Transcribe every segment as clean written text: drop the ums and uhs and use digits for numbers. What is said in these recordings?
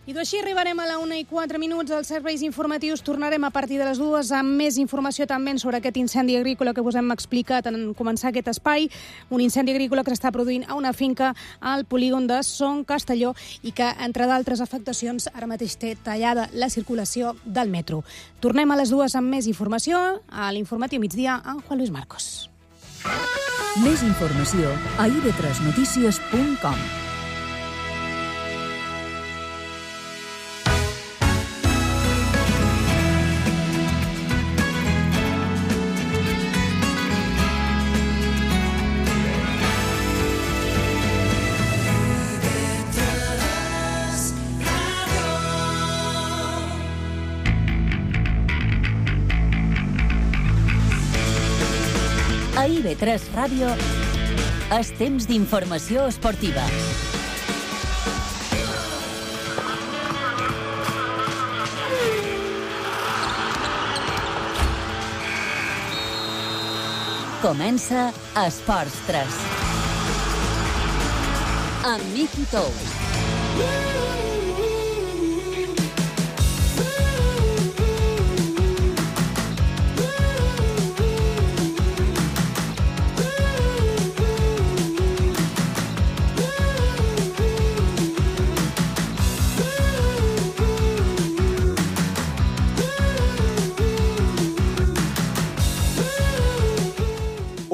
I així arribarem a la 1:04 als serveis informatius. Tornarem a partir de les 2 amb més informació també sobre aquest incendi agrícola que us hem explicat en començar aquest espai. Un incendi agrícola que s'està produint a una finca al polígon de Son Castelló i que, entre d'altres afectacions, ara mateix té tallada la circulació del metro. Tornem a les 2 amb més informació a l'informatiu migdia amb Juan Luis Marcos. Més informació a ib3notícies.com. A IB3 Ràdio, és temps d'informació esportiva. Comença Esports 3. Amb Miki Tous.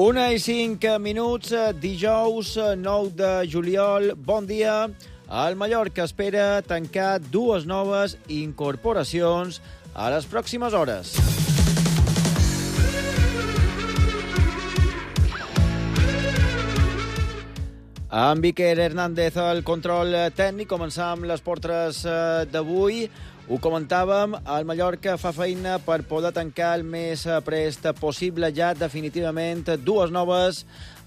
Una i 5 minuts, dijous 9 de juliol. Bon dia. El Mallorca espera tancar 2 noves incorporacions a les pròximes hores. Amb Iker Hernández al control tècnic. Començam amb les portres d'avui. Ho comentàvem, el Mallorca fa feina per poder tancar el més prest possible ja definitivament 2 noves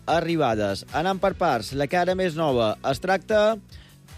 arribades. Anant per parts, la cara més nova es tracta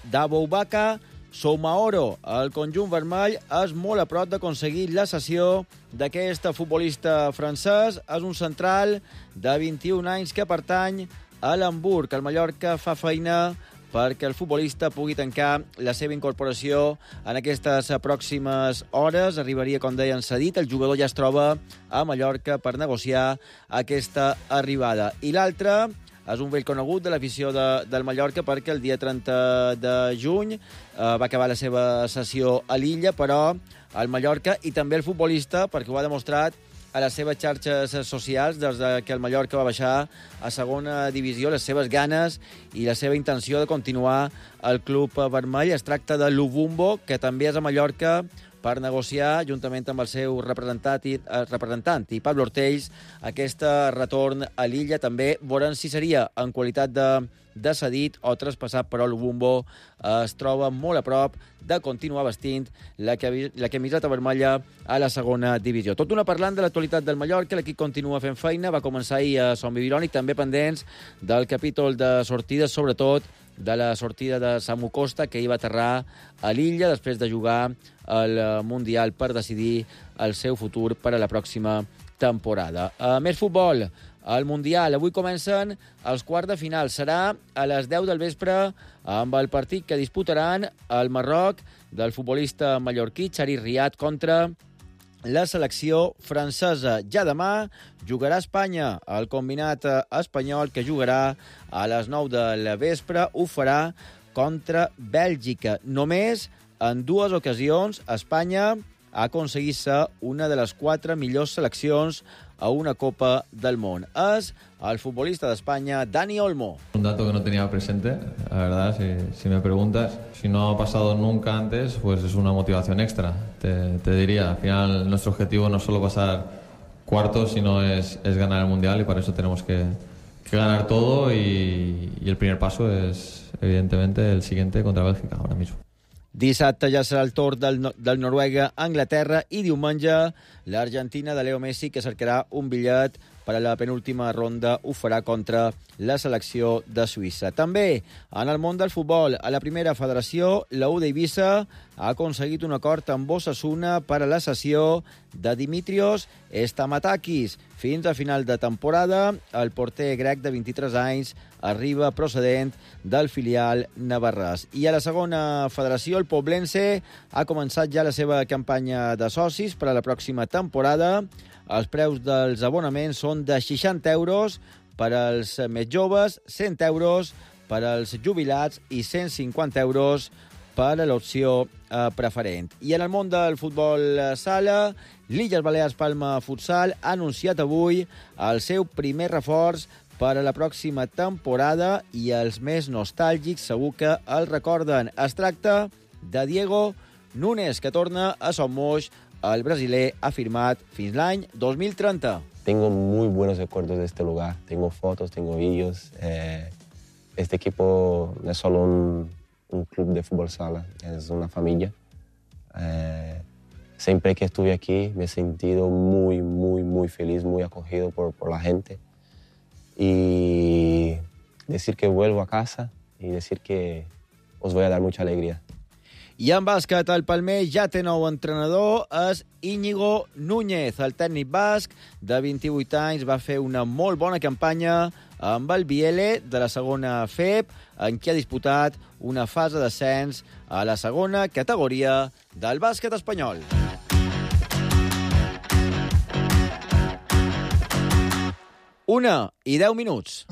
d'Aboubakar Soumaoro. El conjunt vermell és molt a prop d'aconseguir la cessió d'aquest futbolista francès. És un central de 21 anys que pertany a l'Hamburg. El Mallorca fa feina perquè el futbolista pugui tancar la seva incorporació en aquestes pròximes hores. Arribaria, com deien, cedit. El jugador ja es troba a Mallorca per negociar aquesta arribada. I l'altre és un vell conegut de l'afició del Mallorca perquè el dia 30 de juny va acabar la seva sessió a l'Illa, però el Mallorca i també el futbolista, perquè ho ha demostrat a les seves xarxes socials des que el Mallorca va baixar a segona divisió, les seves ganes i la seva intenció de continuar al club vermell. Es tracta de Lubumbo, que també és a Mallorca per negociar, juntament amb el seu representant i Pablo Ortells, aquest retorn a l'Illa. També veurem si seria en qualitat de cedit o traspassat, però Lubumbo es troba molt a prop de continuar vestint la camiseta vermella a la segona divisió. Tot una parlant de l'actualitat del Mallorca, l'equip continua fent feina, va començar ahir a Sant Bibilònic, també pendents del capítol de sortides, sobretot de la sortida de Samu Costa, que hi va aterrar a l'Illa després de jugar al Mundial per decidir el seu futur per a la pròxima temporada. Més futbol. Al Mundial, avui comencen els quarts de final. Serà a les 10 del vespre amb el partit que disputaran el Marroc del futbolista mallorquí Chari Riad contra la selecció francesa. Ja demà jugarà Espanya, el combinat espanyol, que jugarà a les 9 del vespre. Ho farà contra Bèlgica. Només en 2 ocasions Espanya ha aconseguit ser una de les 4 millors seleccions a una Copa del Món. És el futbolista d'Espanya, Dani Olmo. Un dato que no tenía presente, la verdad, si me preguntas. Si no ha pasado nunca antes, pues es una motivación extra. Te diría, al final nuestro objetivo no es solo pasar cuartos, sino es ganar el Mundial, y para eso tenemos que ganar todo, y el primer paso es, evidentemente, el siguiente contra Bélgica, ahora mismo. Dissabte ja serà el torn del Noruega a Anglaterra i diumenge l'Argentina de Leo Messi, que cercarà un bitllet per a la penúltima ronda ho farà contra la selecció de Suïssa. També en el món del futbol, a la primera federació, la U d'Eivissa ha aconseguit un acord amb Osasuna per a la cessió de Dimitrios Stamatakis. Fins a final de temporada, el porter grec de 23 anys arriba procedent del filial navarrès. I a la segona federació, el Poblense ha començat ja la seva campanya de socis per a la pròxima temporada. Els preus dels abonaments són de 60 euros per als més joves, 100 euros per als jubilats i 150 euros per a l'opció preferent. I en el món del futbol sala, l'Illes Balears Palma Futsal ha anunciat avui el seu primer reforç per a la pròxima temporada i els més nostàlgics segur que el recorden. Es tracta de Diego Núñez, que torna a Son Moix. El brasiler ha firmat fins l'any 2030. Tengo muy buenos recuerdos de este lugar. Tengo fotos, tengo vídeos. Este equipo no es solo un club de fútbol sala, es una familia. Siempre que estuve aquí me he sentido muy, muy, muy feliz, muy acogido por la gente. Y decir que vuelvo a casa y decir que os voy a dar mucha alegría. I en bàsquet, el Palmer ja té nou entrenador, és Íñigo Núñez. El tècnic basc de 28 anys va fer una molt bona campanya amb el Biele de la segona FEB, en què ha disputat una fase d'ascens a la segona categoria del bàsquet espanyol. Una i 10 minuts.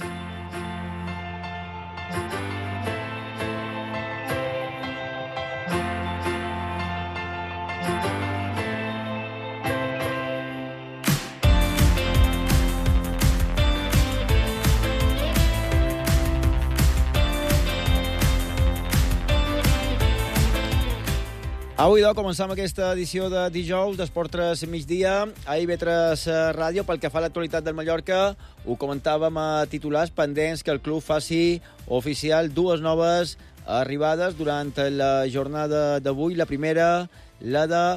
Avui, començam aquesta edició de dijous d'Esport 3 migdia a IB3 Ràdio. Pel que fa a l'actualitat del Mallorca, ho comentàvem a titulars pendents que el club faci oficial dues noves arribades durant la jornada d'avui. La primera, la de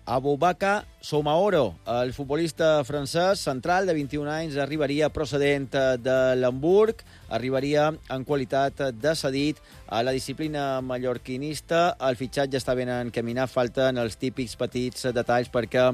Aboubakar Soumaoro, el futbolista francès central de 21 anys, arribaria procedent de l'Hamburg, arribaria en qualitat de cedit a la disciplina mallorquinista. El fitxatge està ben encaminat, falten els típics petits detalls perquè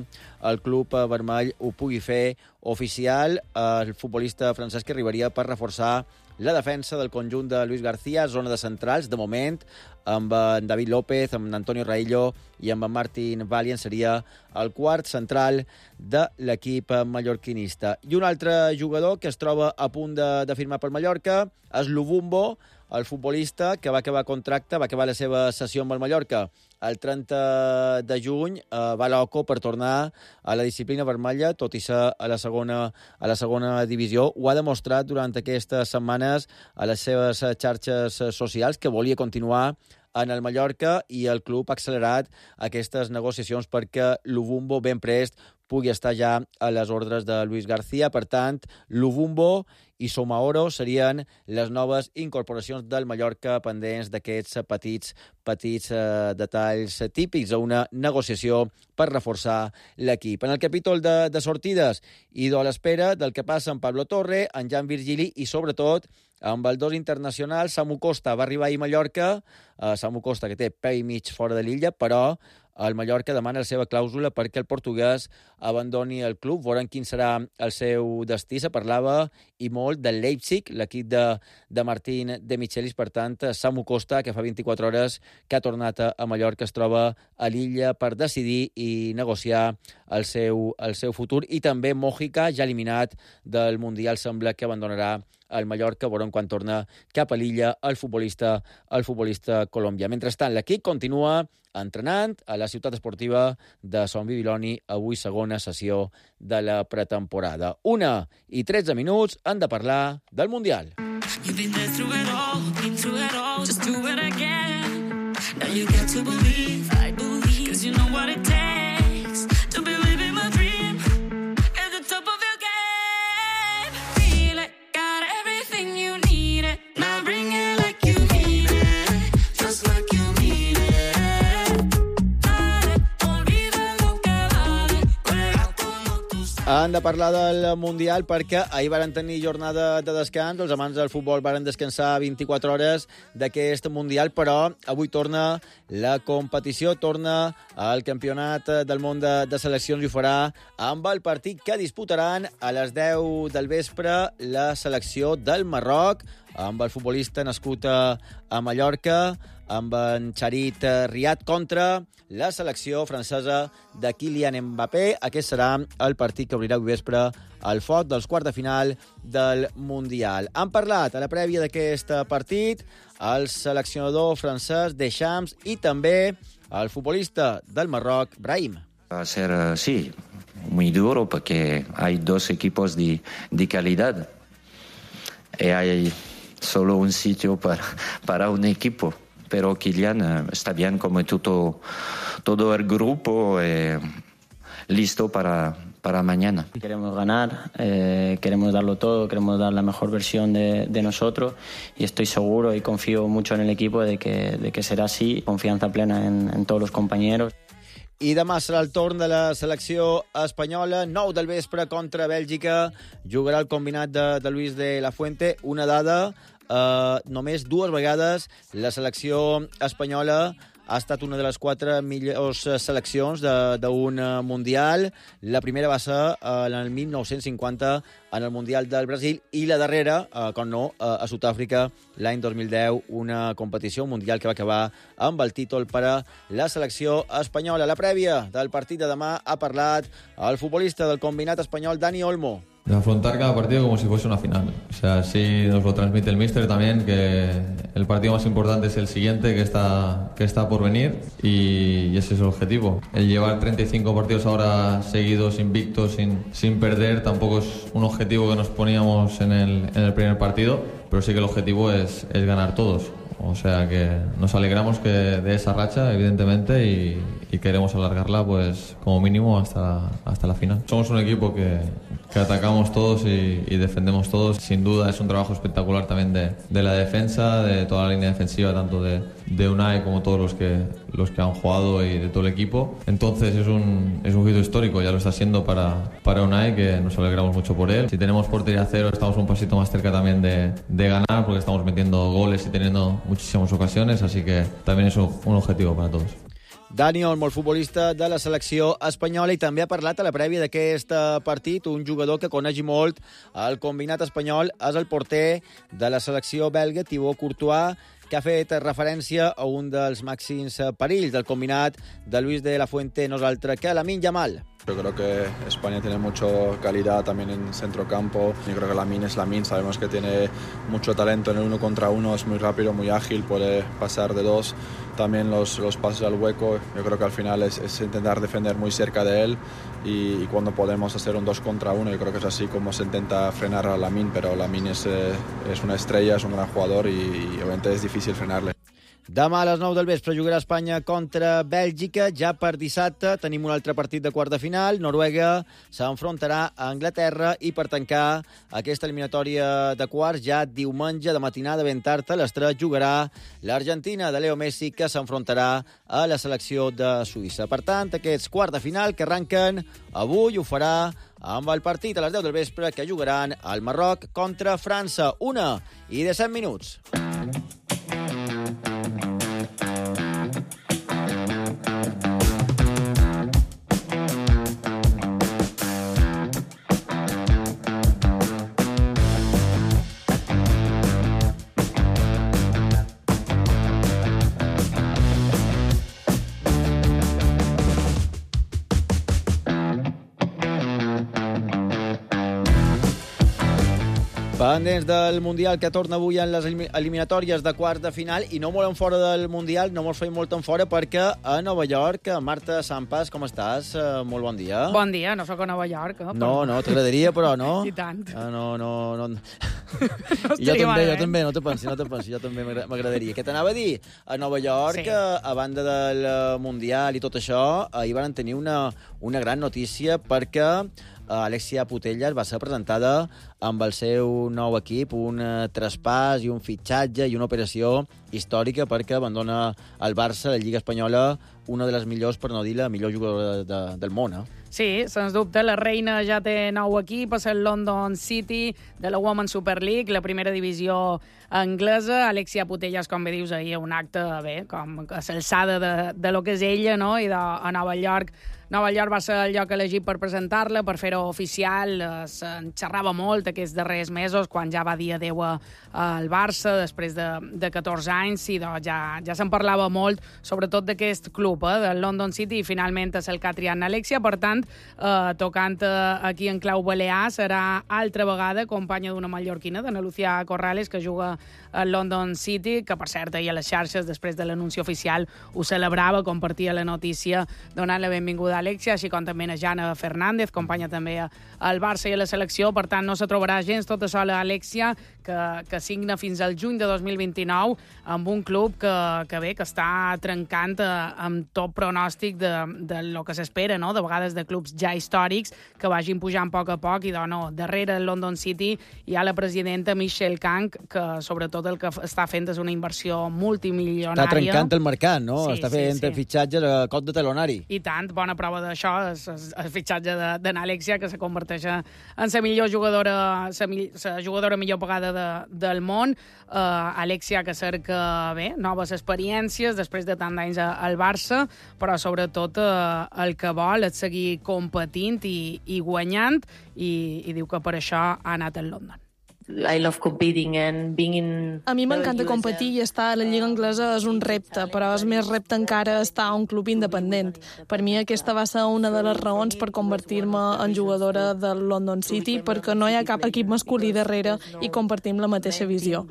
el club vermell ho pugui fer oficial. El futbolista francès que arribaria per reforçar la defensa del conjunt de Luis García, zona de centrals, de moment, amb en David López, amb Antonio Raillo i amb en Martin Valien, seria el quart central de l'equip mallorquinista. I un altre jugador que es troba a punt de firmar per Mallorca és Luvumbo, el futbolista que va acabar contracte, va acabar la seva sessió amb el Mallorca el 30 de juny, va a l'OCO per tornar a la disciplina vermella, tot i ser a la segona divisió. Ho ha demostrat durant aquestes setmanes a les seves xarxes socials que volia continuar en el Mallorca i el club ha accelerat aquestes negociacions perquè Luvumbo ben prest pugui estar ja a les ordres de Luis García. Per tant, Luvumbo i Soumaoro serien les noves incorporacions del Mallorca pendents d'aquests petits detalls típics a una negociació per reforçar l'equip. En el capítol de sortides i de l'espera del que passa amb Pablo Torre, en Jan Virgili i, sobretot, amb el dos internacional, Samu Costa va arribar ahir a Mallorca, Samu Costa que té peu i mig fora de l'illa, però el Mallorca demana la seva clàusula perquè el portuguès abandoni el club. Veurem quin serà el seu destí. Se parlava i molt del Leipzig, l'equip de Martín de Michelis. Per tant, Samu Costa, que fa 24 hores que ha tornat a Mallorca, es troba a l'illa per decidir i negociar el seu futur. I també Mojica, ja eliminat del Mundial, sembla que abandonarà el Mallorca. Veurem quan torna cap a l'illa el futbolista colombià. Mentrestant, l'equip continua entrenant a la ciutat esportiva de Sant Bibiloni, avui segona sessió de la pretemporada. 1:13 minuts, han de parlar del Mundial. You've been there through it all, been through it all, just do it again. Now you get to believe, I believe, 'cause you know what it takes to be living my dream at the top of your game. Feel it, got everything you need it, now bring it like you mean it, just like you mean it. Han de parlar del Mundial perquè ahir varen tenir jornada de descans, els amants del futbol varen descansar 24 hores d'aquest Mundial, però avui torna la competició, torna el Campionat del Món de Seleccions i ho farà amb el partit que disputaran a les 10 del vespre la selecció del Marroc, amb el futbolista nascut a Mallorca, amb en Charit Riad contra la selecció francesa de Kylian Mbappé. Aquest serà el partit que obrirà avui vespre el foc dels quarts de final del Mundial. Han parlat a la prèvia d'aquest partit el seleccionador francès Deschamps i també el futbolista del Marroc, Brahim. Va a ser, sí, muy duro porque hay dos equipos de calidad y hay solo un sitio para un equipo. Pero Kylian está bien como todo el grupo listo para mañana. Queremos ganar, queremos darlo todo, queremos dar la mejor versión de nosotros y estoy seguro y confío mucho en el equipo de que será así, confianza plena en todos los compañeros. I demà serà el torn de la selecció espanyola, 9 del vespre contra Bèlgica. Jugarà el combinat de Luis de la Fuente. Una dada, només 2 vegades la selecció espanyola ha estat una de les 4 millors seleccions d'un Mundial. La primera va ser en el 1950 en el Mundial del Brasil i la darrera, com no, a Sud-àfrica l'any 2010, una competició, un Mundial que va acabar amb el títol per a la selecció espanyola. La prèvia del partit de demà ha parlat el futbolista del combinat espanyol, Dani Olmo. De afrontar cada partido como si fuese una final. O sea, así nos lo transmite el míster también, que el partido más importante es el siguiente, que está por venir, y ese es el objetivo. El llevar 35 partidos ahora seguidos, invictos, sin perder, tampoco es un objetivo que nos poníamos en el primer partido, pero sí que el objetivo es ganar todos. O sea que nos alegramos de esa racha, evidentemente, y queremos alargarla pues como mínimo hasta la final. Somos un equipo que atacamos todos y defendemos todos. Sin duda es un trabajo espectacular también de la defensa, de toda la línea defensiva, tanto de Unai como todos los que han jugado y de todo el equipo. Entonces es un hito histórico, ya lo está siendo para Unai, que nos alegramos mucho por él. Si tenemos portería cero, estamos un pasito más cerca también de ganar, porque estamos metiendo goles y teniendo muchísimas ocasiones, así que también es un objetivo para todos. Dani Olmo, el futbolista de la selecció espanyola, i també ha parlat a la prèvia d'aquest partit un jugador que coneix molt el combinat espanyol, és el porter de la selecció belga, Thibaut Courtois, que ha fet referència a un dels màxims perills del combinat de Luis de la Fuente, no és altre que Lamine Yamal. Yo creo que España tiene mucha calidad también en centrocampo. Yo creo que Lamine es Lamine, sabemos que tiene mucho talento en el 1 contra 1, es muy rápido, muy ágil, puede pasar de 2. También los pases al hueco, yo creo que al final es intentar defender muy cerca de él y cuando podemos hacer un 2 contra 1, yo creo que es así como se intenta frenar a Lamine, pero Lamine es una estrella, es un gran jugador y obviamente es difícil frenarle. Demà a les 9 del vespre jugarà Espanya contra Bèlgica. Ja per dissabte tenim un altre partit de quart de final. Noruega s'enfrontarà a Anglaterra i per tancar aquesta eliminatòria de quarts ja diumenge de matinada ben tard a les 3 jugarà l'Argentina de Leo Messi, que s'enfrontarà a la selecció de Suïssa. Per tant, aquests quarts de final que arranquen avui ho farà amb el partit a les 10 del vespre que jugaran al Marroc contra França. 1:17. Pendents del Mundial que torna avui en les eliminatòries de quarts de final i no molt en fora del Mundial, no molt feim molt en fora perquè a Nova York, Marta Sampas, com estàs? Molt bon dia. Bon dia, no sóc a Nova York. No, t'agradaria, però no. I tant. No. Jo també, no te pensi, jo també m'agradaria. Què t'anava a dir? A Nova York, sí. A banda del Mundial i tot això, ahir van tenir una gran notícia perquè Alexia Putellas va ser presentada amb el seu nou equip, un traspàs i un fitxatge i una operació històrica perquè abandona el Barça, la Lliga Espanyola, una de les millors, per no dir la millor jugadora del món, Sí, sens dubte, la reina ja té nou equip, és el London City de la Women's Super League, la primera divisió anglesa. Alexia Putellas, com bé dius, ahir un acte, com a l'alçada de lo que és ella, no? I a Nova York. Nova York va ser el lloc elegit per presentar-la, per fer-ho oficial. Se'n xerrava molt aquests darrers mesos, quan ja va dir adeu al Barça, després de 14 anys, i ja se'n parlava molt, sobretot d'aquest club, del London City, i finalment és el que ha triat Alexia. Per tant, tocant aquí en clau balear, serà altra vegada companya d'una mallorquina, d'Ana Lucía Corrales, que juga al London City, que per cert ahir a les xarxes, després de l'anunci oficial, ho celebrava, compartia la notícia donant la benvinguda a Alexia, així com també a Jana Fernández, companya també al Barça i a la selecció. Per tant, no se trobarà gens tota sola Alexia, que signa fins al juny de 2029 amb un club que està trencant amb tot pronòstic de lo que s'espera, no? De vegades de clubs ja històrics que vagin pujant a poc, i darrere el London City hi ha la presidenta Michelle Kang, que sobretot el que està fent és una inversió multimilionària. Està trencant el mercat, no? Sí, està fent fitxatges a cop de talonari. I tant, bona prova d'això és el fitxatge d'Alexia, que se converteix en la millor jugadora, la jugadora millor pagada del món. Alexia, que cerca noves experiències després de tant d'anys al Barça, però sobretot el que vol és seguir competint i guanyant, i diu que per això ha anat al London. I love competing and being in... A mi m'encanta competir, i estar a la Lliga Anglesa és un repte, però és més repte encara estar a un club independent. Per mi aquesta va ser una de les raons per convertir-me en jugadora del London City, perquè no hi ha cap equip masculí darrere i compartim la mateixa visió.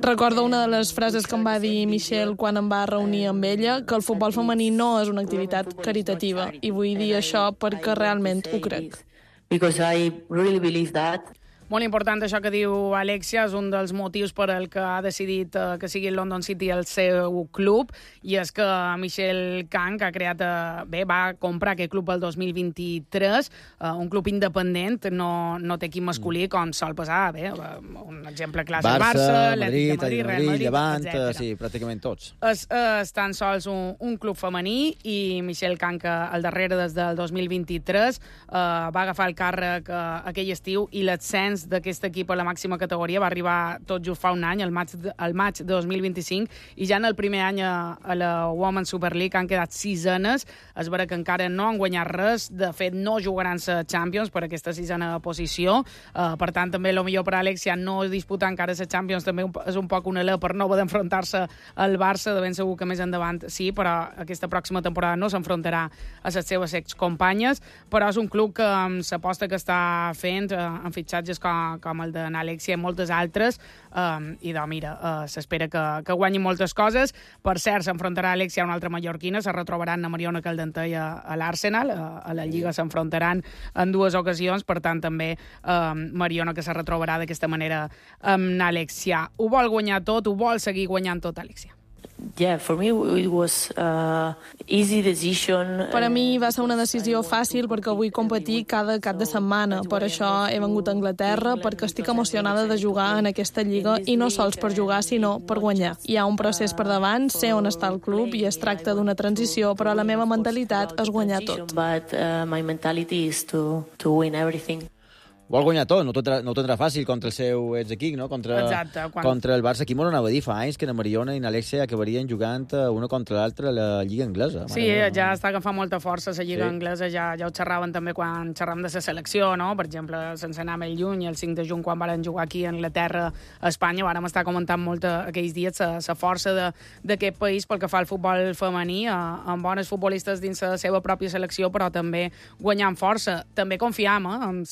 Recordo una de les frases que em va dir Michelle quan em va reunir amb ella, que el futbol femení no és una activitat caritativa, i vull dir això perquè realment ho crec. Because I really believe that. Molt important això que diu Alexia, és un dels motius per el que ha decidit que sigui el London City el seu club, i és que Michelle Kang ha creat, va comprar aquest club el 2023, un club independent, no té equip masculí, com sol passar, un exemple clàssic, Barça, Madrid, Real Madrid, Llevant, etc. sí, pràcticament tots. És tan sols un club femení, i Michelle Kang, al darrere des del 2023, va agafar el càrrec aquell estiu, i l'ascens d'aquest equip a la màxima categoria va arribar tot just fa un any, al maig de 2025, i ja en el primer any a la Women's Super League han quedat 6enes. És vera que encara no han guanyat res, de fet no jugaran la Champions per aquesta 6a posició, per tant també el millor per a Alexia no disputar encara la Champions també és un poc una alè per no haver d'enfrontar-se al Barça, de ben segur que més endavant sí, però aquesta pròxima temporada no s'enfrontarà a les seves excompanyes, però és un club que amb l'aposta que està fent en fitxatges com el d'Alexia i moltes altres, i s'espera que guanyi moltes coses. Per cert, s'enfrontarà Alexia a una altra mallorquina, se retrobaran a Mariona Caldentey a l'Arsenal, a la Lliga s'enfrontaran en 2 ocasions, per tant també Mariona que se retrobarà d'aquesta manera amb Alexia. Ho vol guanyar tot, ho vol seguir guanyant tot, Alexia. Yeah, for me it was easy decision. Per a mi va ser una decisió fàcil perquè vull competir cada cap de setmana. Per això he vengut a Anglaterra, perquè estic emocionada de jugar en aquesta lliga, i no sols per jugar, sinó per guanyar. Hi ha un procés per davant, sé on està el club i es tracta d'una transició, però la meva mentalitat és guanyar tot. But my mentality is to win everything. Vol guanyar tot, no ho tindrà fàcil contra el seu exequip, no? Contra el Barça. Aquí m'ho anava a dir fa anys que na Mariona i na Alexia acabarien jugant una contra l'altra a la Lliga Anglesa. Sí, ja està agafant molta força la Lliga Anglesa, ja ho xerraven també quan xerràvem de la selecció, no? Per exemple, sense anar més lluny, el 5 de juny, quan varen jugar aquí a Anglaterra, a Espanya, vàrem estar comentant molt aquells dies la força d'aquest país pel que fa al futbol femení, amb bones futbolistes dins la seva pròpia selecció, però també guanyant força. També confiam amb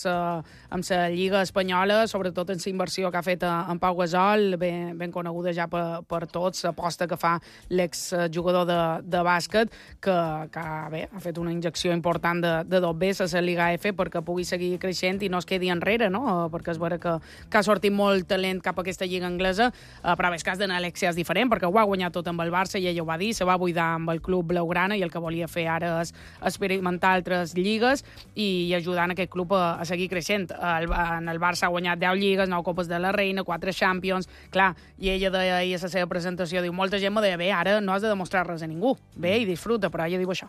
la Lliga espanyola, sobretot en la inversió que ha fet en Pau Gasol, ben coneguda ja per tots, l'aposta que fa l'exjugador de bàsquet, que ha fet una injecció important de 2 veces a la Liga F perquè pugui seguir creixent i no es quedi enrere, no? Perquè és vera que ha sortit molt talent cap a aquesta Lliga anglesa, però el cas d'Alexia és diferent, perquè ho ha guanyat tot amb el Barça, i ella ho va dir, se va buidar amb el club blaugrana, i el que volia fer ara és experimentar altres lligues i ajudar en aquest club a seguir creixent. en el Barça ha guanyat 10 lligues, 9 copes de la Reina, 4 Champions, clar, i ella deia ahir a la seva presentació, diu, molta gent me deia, bé, ara no has de demostrar res a ningú, bé, i disfruta, però ella diu això.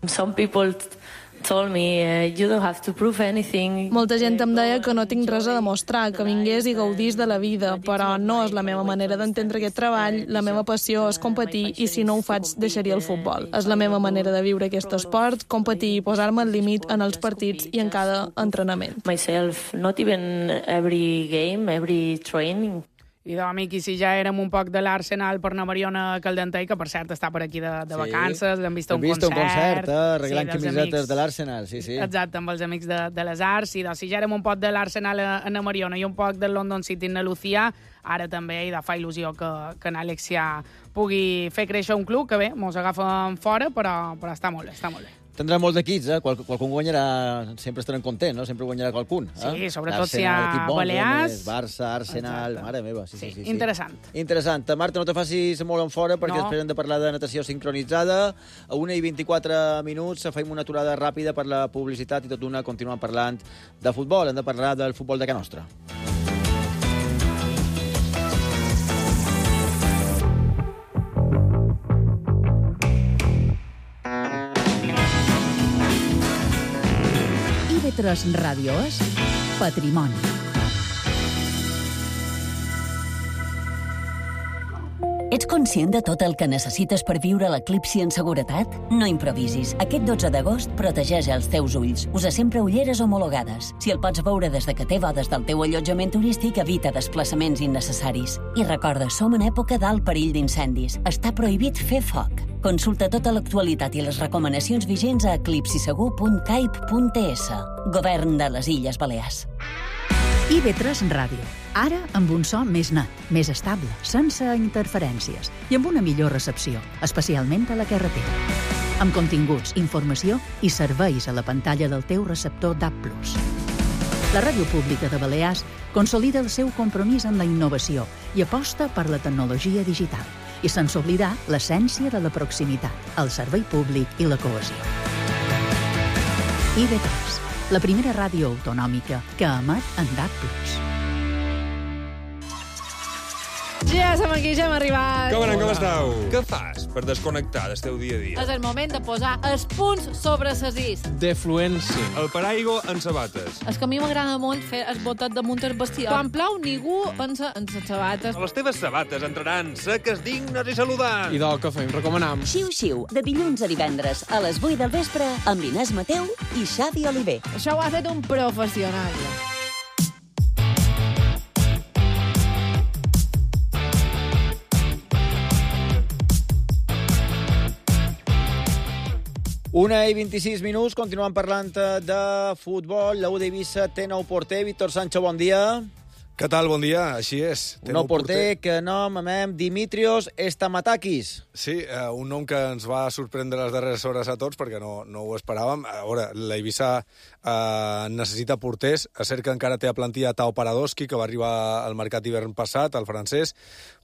Some people told me, you don't have to prove anything. Molta gent em deia que no tinc res a demostrar, que vingués i gaudís de la vida, però no és la meva manera d'entendre aquest treball, la meva passió és competir i si no ho faig deixaria el futbol. És la meva manera de viure aquest esport, competir i posar-me al límit en els partits i en cada entrenament. Myself, not even every game, every training. I doncs, amic, i si ja érem un poc de l'Arsenal per anar Mariona Caldentei, que per cert està per aquí de vacances, l'hem vist a un concert. Arreglant camisetes de l'Arsenal, sí. Exacte, amb els amics de les Arts. I doncs, si ja érem un poc de l'Arsenal a Mariona i un poc del London City en Lucía, ara també fa il·lusió que en Alexia pugui fer créixer un club, que bé, mos agafen fora, però està molt bé, està molt bé. Tindrà molts equips, qualcun guanyarà, sempre estarem contents, no? Sempre guanyarà qualcun. Sí, sobretot si hi ha Balears. Barça, Arsenal, mare meva. Sí. Interessant. Interessant. Marta, no te facis molt en fora, perquè després hem de parlar de natació sincronitzada. A 1:24 minuts fem una aturada ràpida per la publicitat i tot d'una continuem parlant de futbol. Hem de parlar del futbol de Can Nostra. IB3 Ràdio és Patrimoni. Ets conscient de tot el que necessites per viure l'eclipsi en seguretat? No improvisis. Aquest 12 d'agost protegeix els teus ulls. Usa sempre ulleres homologades. Si el pots veure des de que té bodes del teu allotjament turístic, evita desplaçaments innecessaris. I recorda, som en època d'alt perill d'incendis. Està prohibit fer foc. Consulta tota l'actualitat i les recomanacions vigents a eclipsisegur.caip.es. Govern de les Illes Balears. IB3 Ràdio. Ara amb un so més net, més estable, sense interferències i amb una millor recepció, especialment a la carretera. Amb continguts, informació i serveis a la pantalla del teu receptor DAB+. La Ràdio Pública de Balears consolida el seu compromís amb la innovació i aposta per la tecnologia digital, i sense oblidar l'essència de la proximitat, el servei públic i la cohesió. IB3, la primera ràdio autonòmica que emet en DAB+. Ja som aquí, ja hem arribat. Com esteu? Què fas per desconnectar del teu dia a dia? És el moment de posar els punts sobre ses is. Defluència. El paraigua en sabates. És que a mi m'agrada molt fer el botet damunt el vestidor. Quan plou, ningú pensa en les sabates. Les teves sabates entraran seques, dignes i saludants. I del que fem, recomanam. Xiu-xiu, de dilluns a divendres a les 8 del vespre amb Inés Mateu i Xavi Oliver. Això ho ha fet un professional. Una i 26 minuts, continuem parlant de futbol. La U d'Eivissa té nou porter. Víctor Sancho, bon dia. Què tal? Bon dia, així és. Un nou porter que nomem Dimitrios Stamatakis. Sí, un nom que ens va sorprendre les darreres hores a tots perquè no ho esperàvem. A veure, l'Eivissa necessita porters. És cert que encara té a plantilla Tao Paradoski, que va arribar al mercat hivern passat, el francès,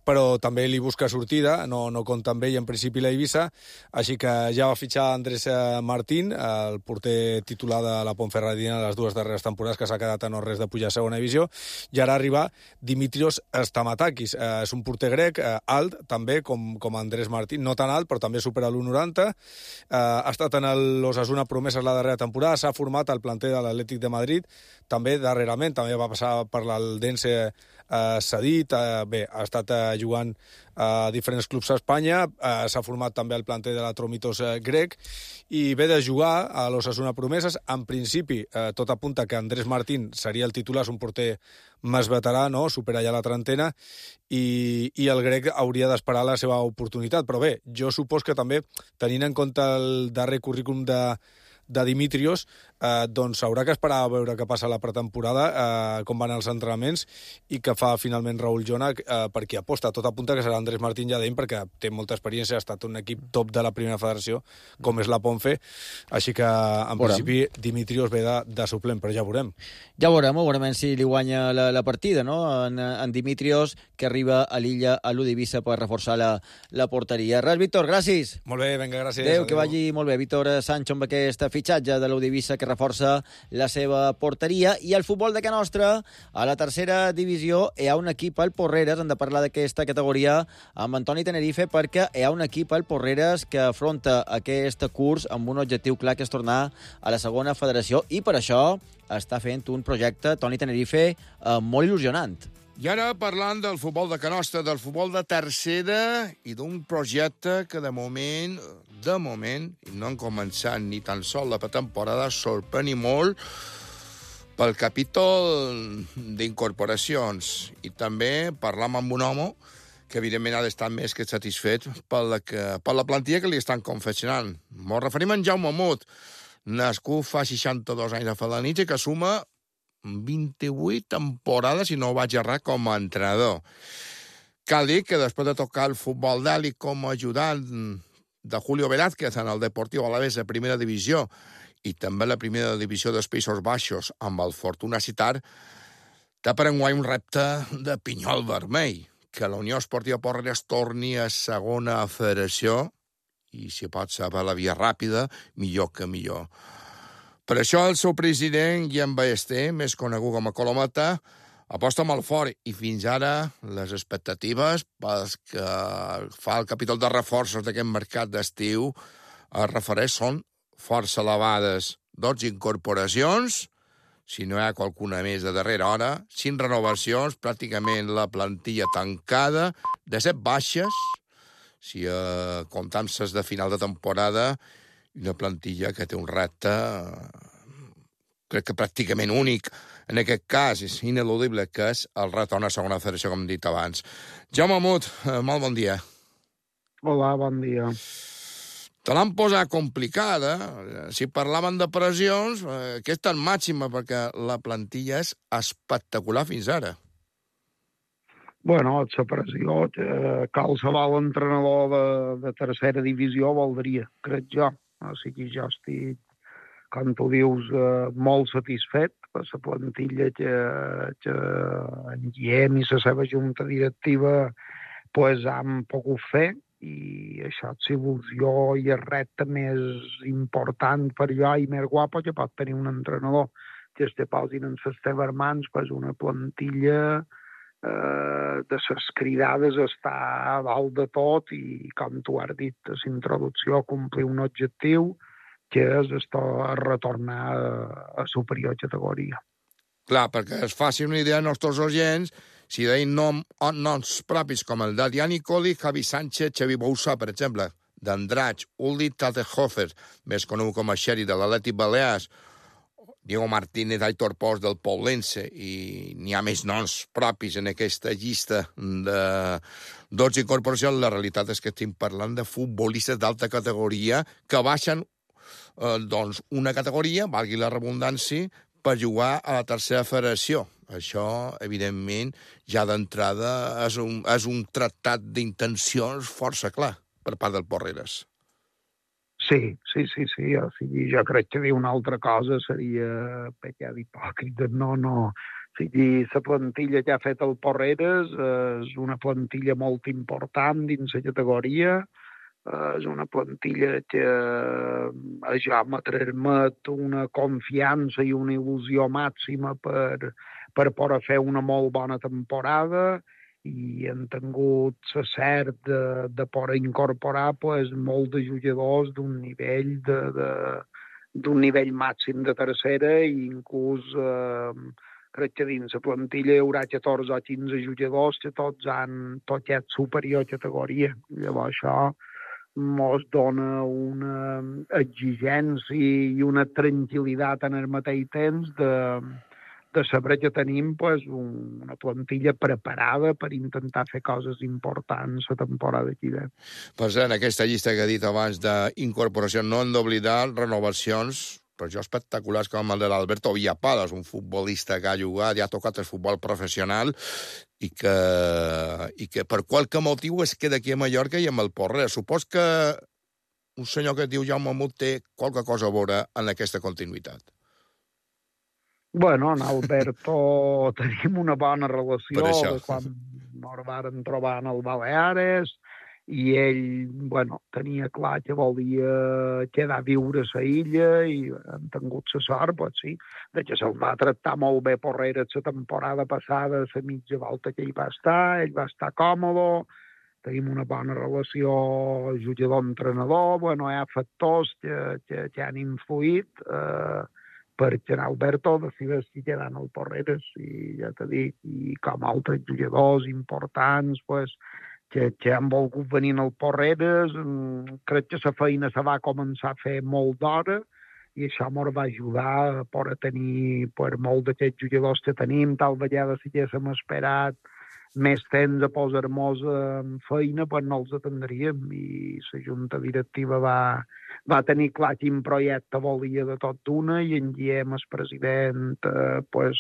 però també li busca sortida, no compta amb ell en principi l'Eivissa, així que ja va fitxar Andrés Martín, el porter titular de la Ponferradina les dues darreres temporades, que s'ha quedat a no res de pujar a segona divisió, i ara arriba Dimitrios Stamatakis. És un porter grec, alt també, com Andrés Martín, no tan alt, però també supera l'1,90. Ha estat en l'Osasuna Promeses la darrera temporada, s'ha format al planter de l'Atlètic de Madrid, també darrerament, també va passar per l'Eldense cedit, bé, ha estat jugant a diferents clubs a Espanya, s'ha format també al planter de l'Atromitos grec, i ve de jugar a l'Osasuna Promeses. En principi, tot apunta que Andrés Martín seria el titular, és un porter més veterà, no? Supera ja la trentena, i el grec hauria d'esperar la seva oportunitat. Però bé, jo supos que també, tenint en compte el darrer currículum de Dimitrios, doncs haurà que esperar a veure què passa a la pretemporada, com van els entrenaments, i què fa finalment Raúl Jona, per qui aposta. Tot apunta que serà Andrés Martín ja d'ell, perquè té molta experiència, ha estat un equip top de la primera federació, com és la Ponfe, així que en principi Dimitrios ve de suplent, però ja veurem. Ja veurem si li guanya la partida, no? En Dimitrios, que arriba a l'illa, a l'U d'Eivissa, per reforçar la porteria. Res, Víctor, gràcies. Molt bé, vinga, gràcies. Adéu, que vagi molt bé. Víctor Sancho amb aquesta fitxatge de l'Eivissa que reforça la seva porteria. I el futbol de Can Nostra, a la tercera divisió, hi ha un equip al Porreres, hem de parlar d'aquesta categoria amb Antoni Tenerife, perquè hi ha un equip al Porreres que afronta aquest curs amb un objectiu clar, que és tornar a la segona federació, i per això està fent un projecte, Toni Tenerife, molt il·lusionant. I ara parlant del futbol de Can Nostra, del futbol de tercera i d'un projecte que de moment, i no han començat ni tan sol la temporada, sorprèn molt pel capítol d'incorporacions. I també parlam amb un home que evidentment ha d'estar més que satisfet per la plantilla que li estan confeccionant. Ens referim a en Jaume Mut, nascut fa 62 anys a Felanitx i que suma 28 temporades, si no ho vaig errar, com a entrenador. Cal dir que després de tocar el futbol d'èlit com a ajudant de Julio Velázquez en el Deportiu Alavés de primera divisió i també la primera divisió dels Països Baixos amb el Fortuna Citar, té per enguany un repte de pinyol vermell, que la Unió Esportiva Porreres torni a segona federació i, si pot ser per la via ràpida, millor que millor. Per això el seu president, Guillem Ballester, més conegut com a Colometa, aposta molt fort i fins ara les expectatives pels que fa el capítol de reforços d'aquest mercat d'estiu es refereix són força elevades. 12 incorporacions, si no hi ha qualcuna més de darrera hora, 5 renovacions, pràcticament la plantilla tancada, de 7 baixes, si comptam ses de final de temporada, i una plantilla que té un repte, crec que pràcticament únic. En aquest cas, és ineludible, que és el retorn a segona federació, com hem dit abans. Jaume Mut, molt bon dia. Hola, bon dia. Te l'han posat complicada. Si parlaven de pressions, aquesta és màxima, perquè la plantilla és espectacular fins ara. Bueno, la pressió, qualsevol entrenador de tercera divisió voldria, crec jo. O sigui, jo estic, com tu dius, molt satisfet per la plantilla que en Guillem i la seva junta directiva han pogut fer, i això és il·lusió i el repte més important per jo i més guapo que pot tenir un entrenador, que es deposin en les teves mans una plantilla de les cridades està a dalt de tot i, com tu has dit a la introducció, complir un objectiu que és retornar a superior categoria. Clar, perquè es faci una idea als nostres oients, si deien noms propis com el d'Adrià Nicoli, Javi Sánchez, Xavi Boussa, per exemple, d'Andratx, Uli Tatehofer, més conegut com a Xeri de l'Atlètic Balears, Diego Martínez, Aitor Pons del Poblense, i n'hi ha més noms propis en aquesta llista de 12 incorporacions. La realitat és que estem parlant de futbolistes d'alta categoria que baixen una categoria, valgui la redundància, per jugar a la tercera federació. Això, evidentment, ja d'entrada és un tractat d'intencions força clar per part del Porreres. Sí. O sigui, jo crec que dir una altra cosa seria pecat hipòcrita. No. O sigui, la plantilla que ha fet el Porreres és una plantilla molt important dins la categoria. És una plantilla que ja me transmet una confiança i una il·lusió màxima per poder fer una molt bona temporada, i hem tingut la cert de poder incorporar molts de jugadors d'un nivell màxim de tercera, i inclús crec que dins la plantilla hi haurà 14 o 15 jugadors que tots han tocat superior categoria. Llavors això ens dona una exigència i una tranquil·litat en el mateix temps de saber que tenim una plantilla preparada per intentar fer coses importants la temporada que ve. Per cert, aquesta llista que he dit abans d'incorporació, no hem d'oblidar renovacions, per això espectaculars, com el de l'Alberto Villapalas, un futbolista que ha jugat i ha tocat el futbol professional i que per qualque motiu es queda aquí a Mallorca i amb el Porreres. Supos que un senyor que es diu Jaume Mut té qualque cosa a veure en aquesta continuïtat. Bueno, en Alberto tenim una bona relació de quan ens vàrem trobar en el Baleares, i ell, bueno, tenia clar que volia quedar a viure a la illa i han tingut la sort, pues sí, de que se'l va tractar molt bé Porreres la temporada passada, la mitja volta que hi va estar còmode, tenim una bona relació jugador-entrenador, bueno, hi ha factors que han influït perquè en Alberto decideix si quedar en el Porreres i ja t'he dit, i com altres jugadors importants, pues, que han volgut venir al Porreres, crec que la feina se va començar a fer molt d'hora i això ens va ajudar a tenir molts d'aquests jugadors que tenim, tal vegada si haguéssim esperat més temps a posar-nos en feina, pues no els atendríem i la junta directiva va tenir clar quin projecte volia de tot d'una i en Guillem, el president, pues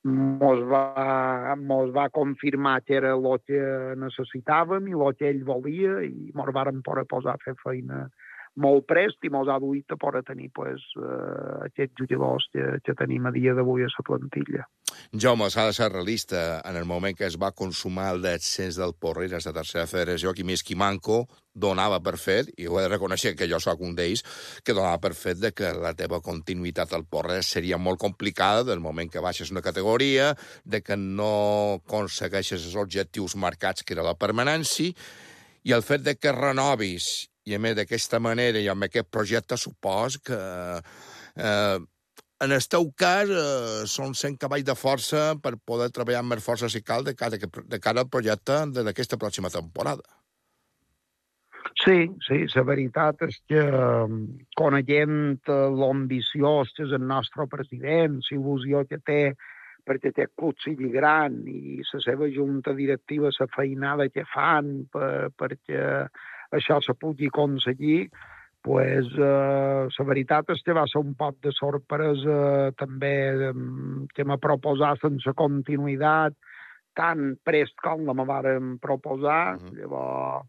mos va confirmar que era el que necessitàvem i el que ell volia i mos varen poder posar a fer feina molt prest i mos ha duit a poder tenir aquests jugadors que tenim a dia d'avui a la plantilla. Jaume, s'ha de ser realista. En el moment que es va consumar el descens del Porreres a tercera federació, qui més qui manco donava per fet, i ho he de reconèixer que jo soc un d'ells, que donava per fet de que la teva continuïtat al Porreres seria molt complicada del moment que baixes una categoria, de que no aconsegueixes els objectius marcats, que era la permanència, i el fet de que renovis i a més d'aquesta manera i amb aquest projecte supos que en el teu cas són 100 cavalls de força per poder treballar amb més força si cal de cara al projecte d'aquesta pròxima temporada. Sí, la veritat és que coneguent l'ambició que és el nostre president, la il·lusió que té perquè aquest club sigui gran i la seva junta directiva, la feinada que fan perquè això se pugui aconseguir, pues, la veritat és que va ser un poc de sorpresa també que m'ha proposat sense continuïtat tan prest com la me varen proposar. Llavors,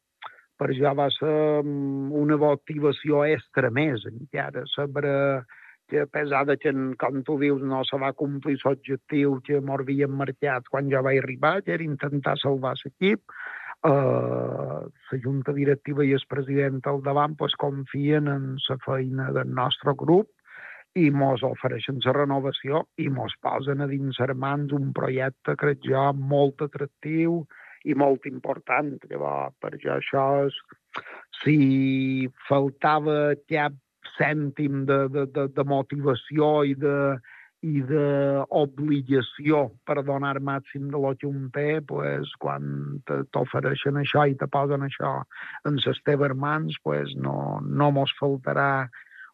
per jo va ser una motivació extra més, encara, saber que a pesar de que, com tu dius, no se va complir l'objectiu que m'havien marcat quan jo vaig arribar, que era intentar salvar l'equip, la junta directiva i el president al davant pues, confien en la feina del nostre grup i mos ofereixen la renovació i mos posen a dins les mans un projecte, crec jo, molt atractiu i molt important. Llavors, per jo això és... Si faltava cap cèntim de motivació i d'obligació per donar màxim de lo que un té, pues, quan t'ofereixen això i te posen això en les teves mans, pues, no mos faltarà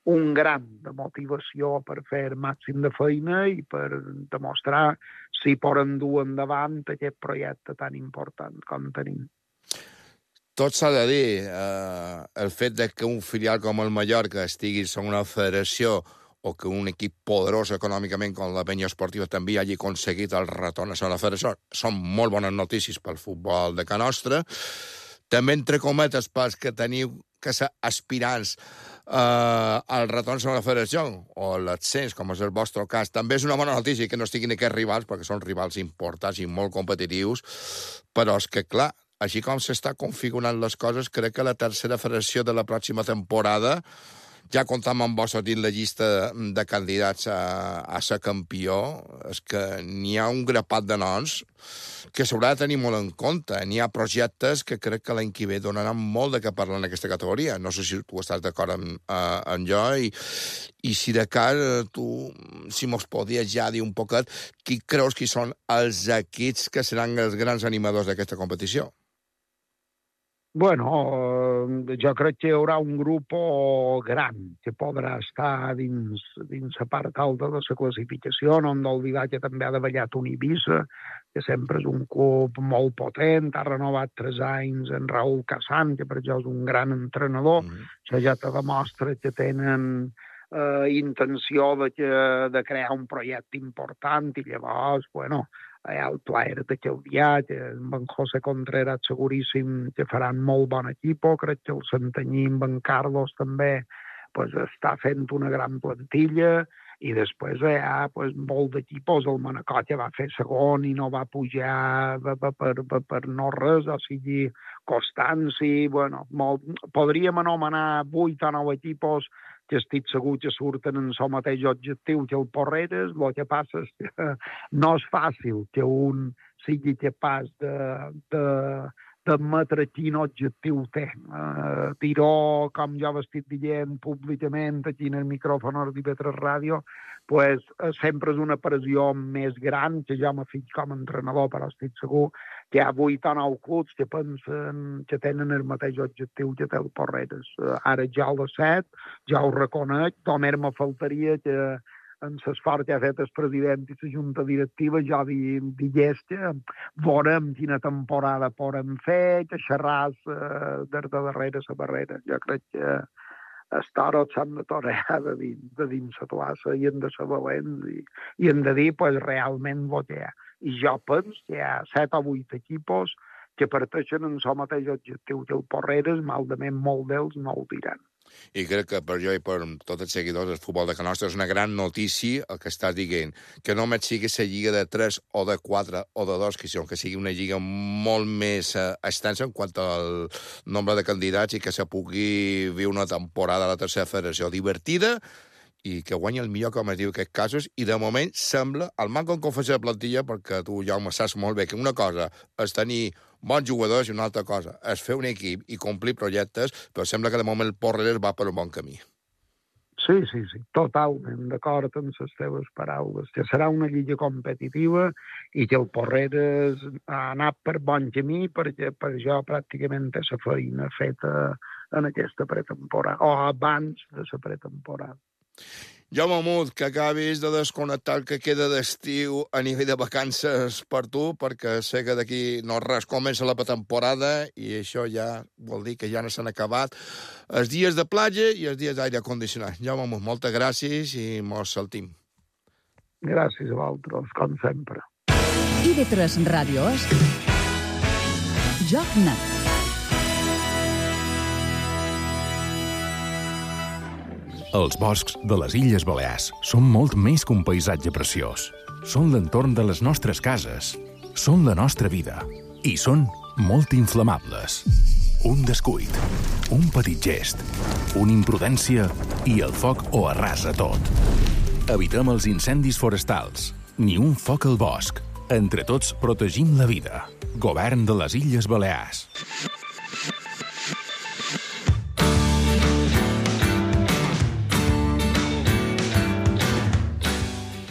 un gram de motivació per fer màxim de feina i per demostrar si poden dur endavant aquest projecte tan important com tenim. Tot s'ha de dir, el fet de que un filial com el Mallorca estigui en una federació o que un equip poderós econòmicament com la Penya Esportiva també hagi aconseguit el retorn a la federació, són molt bones notícies pel futbol de Can Nostra. També, entre cometes, pels que teniu que ser aspirants al retorn a la federació o l'ascens, com és el vostre cas, també és una bona notícia que no estiguin aquests rivals, perquè són rivals importants i molt competitius, però és que, clar, així com s'està configurant les coses, crec que la tercera federació de la pròxima temporada ja comptam amb vos dins la llista de candidats a ser campió. És que n'hi ha un grapat de noms que s'haurà de tenir molt en compte. N'hi ha projectes que crec que l'any que ve donaran molt de què parlar en aquesta categoria. No sé si tu estàs d'acord amb jo i si de cas tu, si mos podies ja dir un poquet qui creus que són els equips que seran els grans animadors d'aquesta competició. Bueno, jo crec que hi haurà un grup gran que podrà estar dins la part alta de la classificació. No hem d'oblidar que també ha davallat un Ibiza, que sempre és un club molt potent, ha renovat 3 anys en Raúl Casán, que per jo és un gran entrenador. Això ja te demostra que tenen intenció de crear un projecte important i llavors, bueno, hi ha el plaer de Calvià, que amb en José Contreras seguríssim que faran molt bon equip. Crec que el Santanyí amb en Carlos també pues, està fent una gran plantilla I després hi ha molt d'equipos. El Manacor ja va fer segon i no va pujar per no res, o sigui, Constanci, podríem anomenar 8 o 9 equipos que estic segur que surten en el mateix objectiu que el Porreres. El que passa és que no és fàcil que un sigui capaç d'admetre quin objectiu té. Dir-ho, com jo ho estic dient públicament aquí en el micròfon d'IV3 Ràdio, sempre és una pressió més gran que jo m'he fet com a entrenador, però estic segur que hi ha 8 o 9 clubs que pensen que tenen el mateix objectiu que té el Porreres. Ara ja ho sé, ja ho reconec, només me faltaria que en l'esforç que ha fet el president i la junta directiva ja digués que veurem quina temporada podem fer, que xerràs des de darrere la barrera. Jo crec que els toros s'han de torear de dins la plaça i hem de ser valents i hem de dir realment el que hi ha. I jo penso que hi ha 7 o 8 equipos que parteixen en el mateix objectiu que el Porreres, malament molt d'ells no ho diran. I crec que per jo i per tots els seguidors del futbol de Can Nostra és una gran notícia el que estàs dient, que només sigui la lliga de 3 o de 4 o de 2, que sigui una lliga molt més extensa en quant al nombre de candidats i que se pugui viure una temporada a la tercera federació divertida i que guanyi el millor, com es diu en aquests casos, i de moment sembla, al manco en confessió de plantilla, perquè tu, Jaume, saps molt bé que una cosa és tenir bons jugadors i una altra cosa és fer un equip i complir projectes, però sembla que de moment el Porreres va per un bon camí. Sí, totalment d'acord amb les teves paraules, que serà una lliga competitiva i que el Porreres ha anat per bon camí perquè per jo pràcticament té la feina feta en aquesta pretemporada, o abans de la pretemporada. Jaume Mut, que acabis de desconnectar el que queda d'estiu a nivell de vacances per tu, perquè sé que d'aquí no res comença la pretemporada i això ja vol dir que ja no s'han acabat els dies de platja i els dies d'aire condicionat. Jaume Mut, moltes gràcies i mos saltim. Gràcies a vosaltres, com sempre. IB3 Ràdio és Joc Net. Els boscs de les Illes Balears són molt més que un paisatge preciós. Són l'entorn de les nostres cases, són la nostra vida i són molt inflamables. Un descuit, un petit gest, una imprudència i el foc ho arrasa tot. Evitem els incendis forestals, ni un foc al bosc. Entre tots protegim la vida. Govern de les Illes Balears.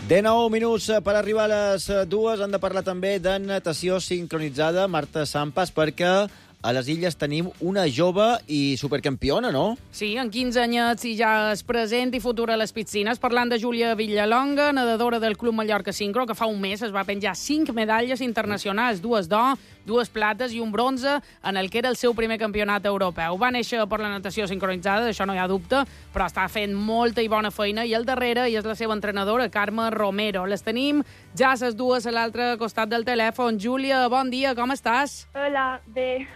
19 minuts per arribar a les 2. Han de parlar també de natació sincronitzada. Marta Sampas, perquè a les Illes tenim una jove i supercampiona, no? Sí, en 15 anyets i ja és present i futura a les piscines. Parlant de Júlia Villalonga, nedadora del Club Mallorca Sincro, que fa un mes es va penjar 5 medalles internacionals, 2 d'or, 2 plates i un bronze en el que era el seu primer campionat europeu. Va néixer per la natació sincronitzada, d'això no hi ha dubte, però està fent molta i bona feina, i al darrere hi és la seva entrenadora, Carme Romero. Les tenim ja les dues a l'altre costat del telèfon. Júlia, bon dia, com estàs? Hola, bé.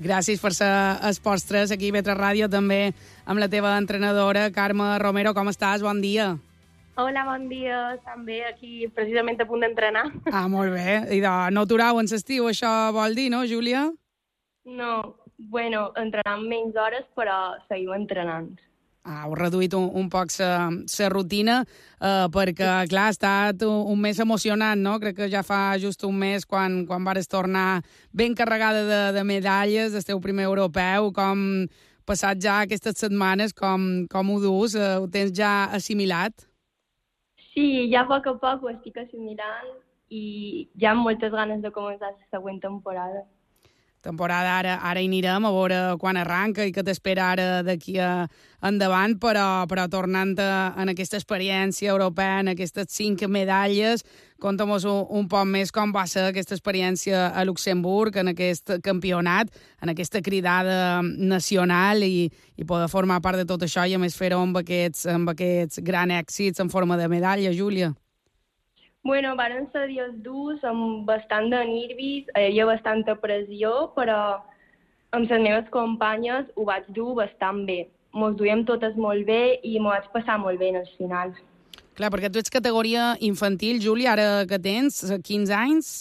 Gràcies per ser els postres aquí a IB3 Ràdio, també amb la teva entrenadora, Carme Romero. Com estàs? Bon dia. Hola, bon dia. També aquí, precisament a punt d'entrenar. Ah, molt bé. I no aturau en l'estiu, això vol dir, no, Júlia? No, bueno, entrenant menys hores, però seguim entrenant. Heu reduït un poc la rutina, perquè, clar, ha estat un mes emocionant, no? Crec que ja fa just un mes quan vares tornar ben carregada de medalles del teu primer europeu. Com passat ja aquestes setmanes, com ho dus? Ho tens ja assimilat? Sí, ja a poc ho estic assimilant i ja amb moltes ganes de començar la següent temporada. Ara hi anirem a veure quan arranca i què t'espera ara d'aquí endavant, però tornant en aquesta experiència europea, en aquestes 5 medalles, conta'm un poc més com va ser aquesta experiència a Luxemburg, en aquest campionat, en aquesta cridada nacional i poder formar part de tot això i a més fer-ho amb aquests grans èxits en forma de medalla, Júlia. Bueno, varen ser dies durs, amb bastant de nervis, hi havia bastanta pressió, però amb les meves companyes ho vaig dur bastant bé. Mos duiem totes molt bé i m'ho vaig passar molt bé en els finals. Clar, perquè tu ets categoria infantil, Júlia, ara que tens 15 anys?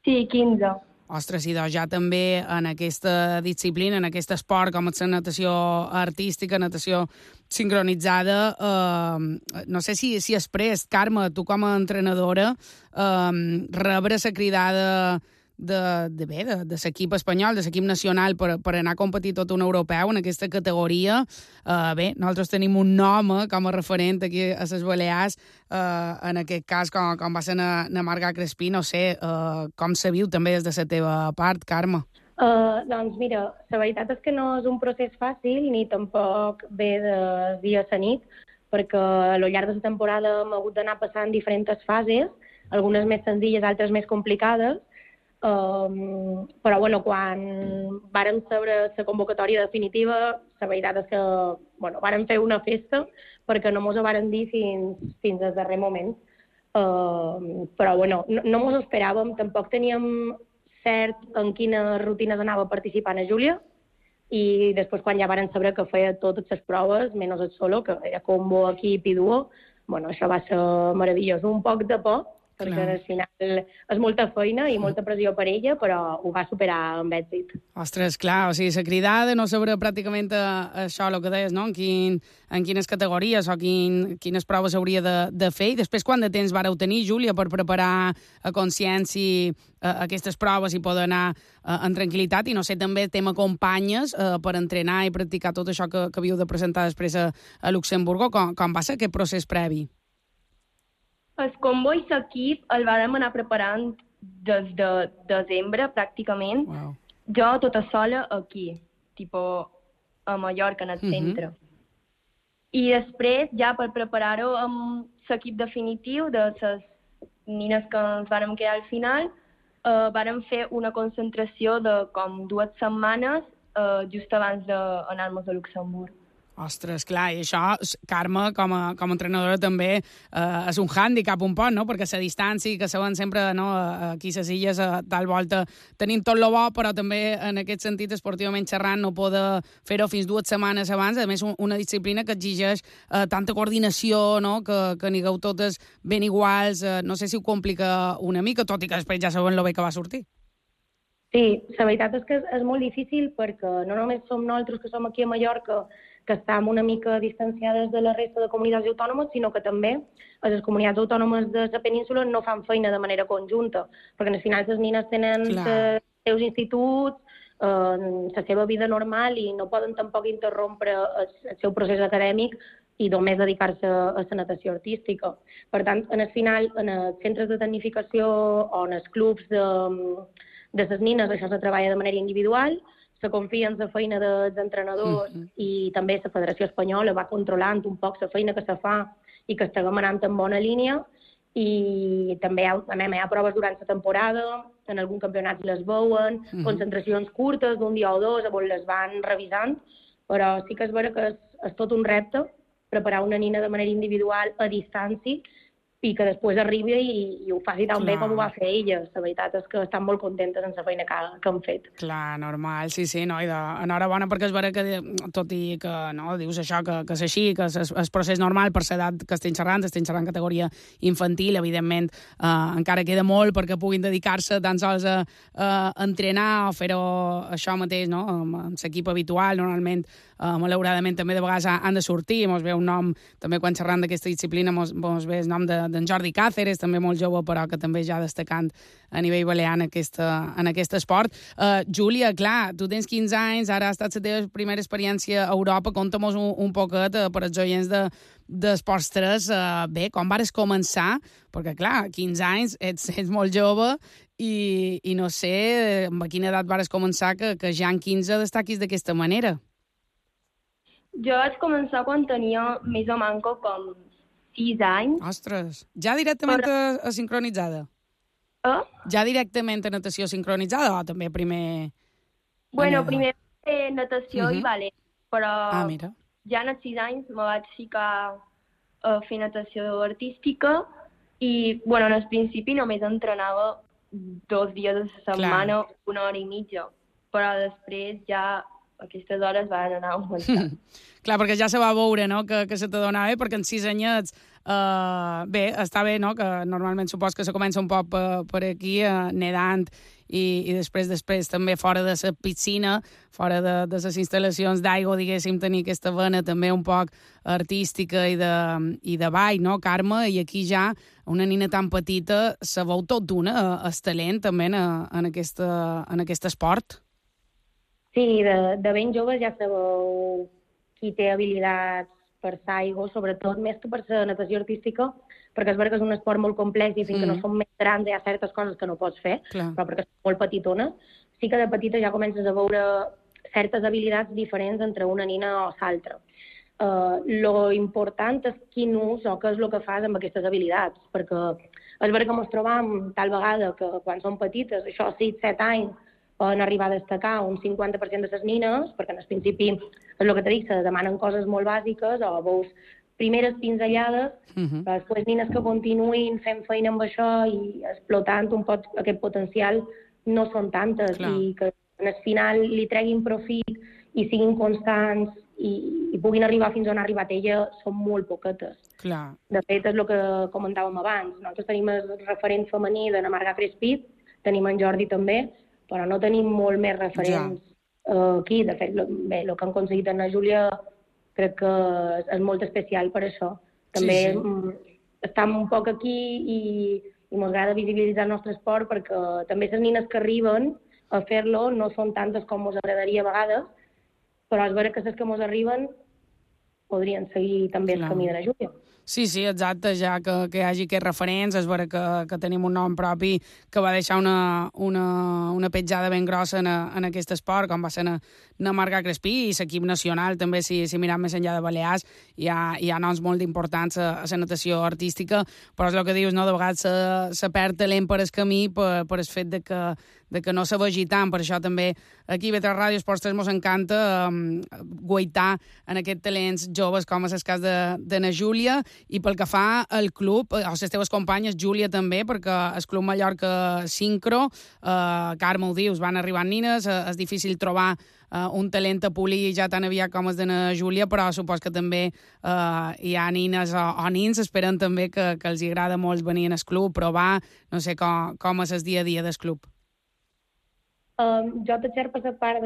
Sí, 15. Ostres, i doncs ja també en aquesta disciplina, en aquest esport, com és la natació artística, natació sincronitzada, no sé si has pres, Carme, tu com a entrenadora, rebre la cridada de l'equip espanyol, de l'equip nacional per anar a competir tot un europeu en aquesta categoria. Bé, nosaltres tenim un nom com a referent aquí a les Balears, en aquest cas com va ser na Marga Crespí, no sé, com se viu també des de la teva part, Carme? Doncs mira, la veritat és que no és un procés fàcil ni tampoc ve de dia a la nit, perquè al llarg de la temporada hem hagut d'anar passant diferents fases, algunes més senzilles, altres més complicades, però bueno, quan vàrem saber la convocatòria definitiva, la veritat és que vàrem fer una festa perquè no mos ho vàrem dir fins al darrer moment. Però bueno, no mos ho esperàvem, tampoc teníem cert en quines rutines anava participant a Júlia, i després quan ja vàrem saber que feia totes les proves, menys el solo, que era combo, equip i duo, bueno, això va ser meravellós. Un poc de por, perquè al final és molta feina i molta pressió per ella, però ho va superar amb èxit. Ostres, clar, o sigui, la cridada no sabrà pràcticament això, el que deies, no? En quines categories o quines proves hauria de fer, i després quant de temps vareu tenir, Júlia, per preparar a consciència aquestes proves i poder anar en tranquil·litat, i no sé, també t'acompanyes per entrenar i practicar tot això que havíeu de presentar després a Luxemburgo. Com va ser aquest procés previ? El combo i l'equip el vàrem anar preparant des de desembre, pràcticament. Wow. Jo tota sola aquí, a Mallorca, en el centre. I després, ja per preparar-ho amb l'equip definitiu de les nines que ens vàrem quedar al final, vàrem fer una concentració de com 2 setmanes just abans d'anar-nos a Luxemburg. Ostres, clar, i això, Carme, com a entrenadora també és un hàndicap un poc, no? Perquè la distància, que saben sempre, no? Aquí a les illes, tal volta, tenim tot lo bo, però també en aquest sentit, esportivament xerrant, no poder fer-ho fins 2 setmanes abans. A més, una disciplina que exigeix tanta coordinació, no? Que anigueu totes ben iguals. No sé si ho complica una mica, tot i que després ja saben lo bé que va sortir. Sí, la veritat és que és molt difícil perquè no només som nosaltres que som aquí a Mallorca, que estem una mica distanciades de la resta de comunitats autònomes, sinó que també les comunitats autònomes de la península no fan feina de manera conjunta, perquè al final les nines tenen els seus instituts, la seva vida normal, i no poden tampoc interrompre el seu procés acadèmic i només dedicar-se a la natació artística. Per tant, al final, en els centres de tecnificació o en els clubs de les nines, això se treballa de manera individual, se confia en la feina dels entrenadors i també la Federació Espanyola va controlant un poc la feina que se fa i que estiguem anant en bona línia, i també hi ha proves durant la temporada, en algun campionat les veuen, concentracions curtes d'un dia o dos on les van revisant, però sí que és vera que és tot un repte preparar una nina de manera individual a distància i que després arribi i ho faci tan bé com ho va fer ella. La veritat és que estan molt contentes amb la feina que han fet. Clar, normal, sí, no, i enhorabona, perquè és vera que, tot i que no, dius això, que és així, que és procés normal per l'edat que estem xerrant categoria infantil, evidentment, encara queda molt perquè puguin dedicar-se tan sols a entrenar o fer-ho això mateix, no?, amb l'equip habitual. Normalment, malauradament, també de vegades han de sortir, mos ve un nom, també quan xerrant d'aquesta disciplina, mos ve el nom d'en Jordi Cáceres, també molt jove, però que també ja destacant a nivell balear en aquest esport. Júlia, clar, tu tens 15 anys, ara ha estat la teva primera experiència a Europa. Conta-mos un poquet per als oients d'Esports 3. Bé, com vares començar? Perquè, clar, 15 anys, ets molt jove i no sé a quina edat vares començar que ja en 15 destaquis d'aquesta manera. Jo vaig començar quan tenia més o menys com 6 anys. Ostres, ja directament a sincronitzada? Ja directament a natació sincronitzada o també primer... Bueno, primer natació i ballet, però mira. Ja als 6 anys me vaig ficar a fer natació artística i, bueno, en el principi només entrenava 2 dies a la setmana, 1 hora i mitja, però després ja aquestes hores van anar augmentant. Clar, perquè ja se va veure, no?, que se t'adonava bé, perquè en 6 anyets, bé, està bé, no?, que normalment supos que se comença un poc per aquí, nedant, i després també fora de la piscina, fora de les instal·lacions d'aigua, diguéssim, tenir aquesta vena també un poc artística i de ball, no, Carme? I aquí ja una nina tan petita se veu tot d'una, el talent també en aquest esport. Sí, de ben jove ja sabeu qui té habilitats per l'aigua, sobretot més que per la natació artística, perquè és veritat que és un esport molt complex i fins que no som més grans hi ha certes coses que no pots fer, però perquè és molt petitona, sí que de petita ja comences a veure certes habilitats diferents entre una nina o l'altra. Lo important és quin ús o què és el que fas amb aquestes habilitats, perquè és veritat que ens trobam tal vegada que quan som petites, això 6-7 anys, poden arribar a destacar un 50% de les nines, perquè en el principi és el que t'he dit, se demanen coses molt bàsiques o veus primeres pinzellades, però després nines que continuïn fent feina amb això i explotant un poc aquest potencial no són tantes i que al final li treguin profit i siguin constants i puguin arribar fins on ha arribat ella són molt poquetes. Clar. De fet, és el que comentàvem abans. Nosaltres tenim el referent femení de la Marga Crespí, tenim en Jordi també, però no tenim molt més referents aquí. De fet, bé, el que han aconseguit en la Júlia crec que és molt especial per això. També estem un poc aquí i ens agrada visibilitzar el nostre esport perquè també les nines que arriben a fer-lo no són tantes com ens agradaria a vegades, però és veritat que les que ens arriben podrien seguir també el camí de la Júlia. Sí, exacte, ja que hi hagi aquests referents, és veritat que tenim un nom propi que va deixar una petjada ben grossa en aquest esport, com va ser na Marga Crespí i l'equip nacional, també, si mirem més enllà de Balears, hi ha noms molt importants a la natació artística, però és el que dius, no? De vegades se perd talent per el camí per el fet de que no se vegi tant. Per això també aquí a Ràdio Esports 3 ens encanta guaitar en aquests talents joves, com és el cas de na Júlia. I pel que fa al club, o les teves companyes, Júlia també, perquè el Club Mallorca Sincro, Carme ho dius, van arribant nines, és difícil trobar un talent a polir ja tan aviat com és de na Júlia, però supos que també hi ha nines o nins, esperen també que els agrada molt venir al club, provar, no sé com és el dia a dia del club. Jo t'exer per la part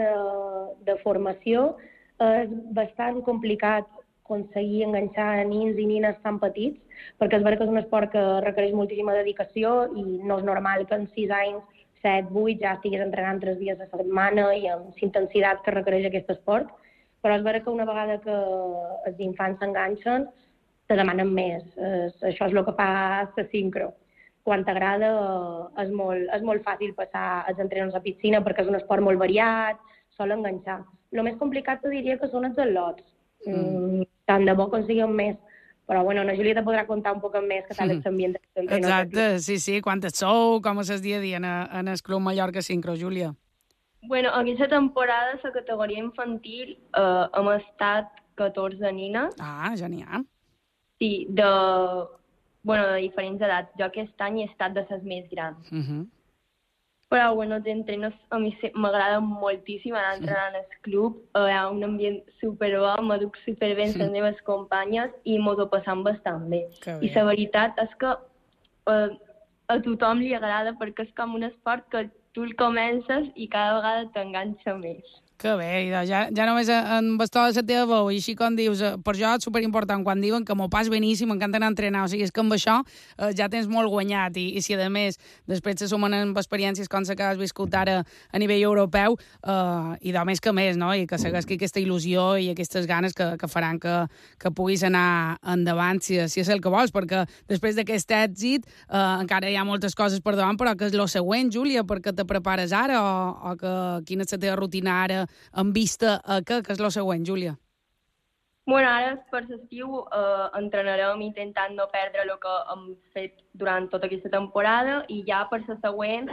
de formació, és bastant complicat aconseguir enganxar nins i nines tan petits, perquè és veritat que és un esport que requereix moltíssima dedicació i no és normal que en 6 anys, 7, 8, ja estigués entrenant 3 dies a la setmana i amb intensitat que requereix aquest esport, però és veritat que una vegada que els infants s'enganxen, te demanen més. Això és el que fa la sincro. Quan t'agrada és molt fàcil passar els entrenaments a piscina perquè és un esport molt variat, sol enganxar. El més complicat te diria que són els al·lots. Tant de bo aconseguim més, però bueno, la Júlia te podrà contar un poc més que tal és l'ambient d'entrenador. Exacte, sí, quantes sou, com és el dia a dia en el Club Mallorca Sincro, Júlia? Bueno, aquesta temporada, la categoria infantil, hem estat 14 nines. Ah, ja n'hi ha. Sí, de diferents edats. Jo aquest any he estat de les més grans. Però, bueno, els entrenos a mi m'agrada moltíssim anar entrenant al club. Hi ha un ambient superbo, m'aduc superbé amb les meves companyes i mos ho passam bastant bé. I la veritat és que a tothom li agrada perquè és com un esport que tu el comences i cada vegada t'enganxa més. Que bé, ja només en bastó de la teva veu, i així com dius, per jo és superimportant quan diuen que m'ho pas beníssim, m'encanta anar a entrenar, o sigui, és que amb això ja tens molt guanyat, i si a més després se sumen amb experiències com la que has viscut ara a nivell europeu, i de més que més, no? I que segueixi aquesta il·lusió i aquestes ganes que faran que puguis anar endavant, si és el que vols, perquè després d'aquest èxit encara hi ha moltes coses per davant, però que és el següent, Júlia, perquè te prepares ara, o quina és la teva rutina ara en vista a què és el següent, Júlia? Bueno, ara per l'estiu entrenarem intentant no perdre el que hem fet durant tota aquesta temporada i ja per la següent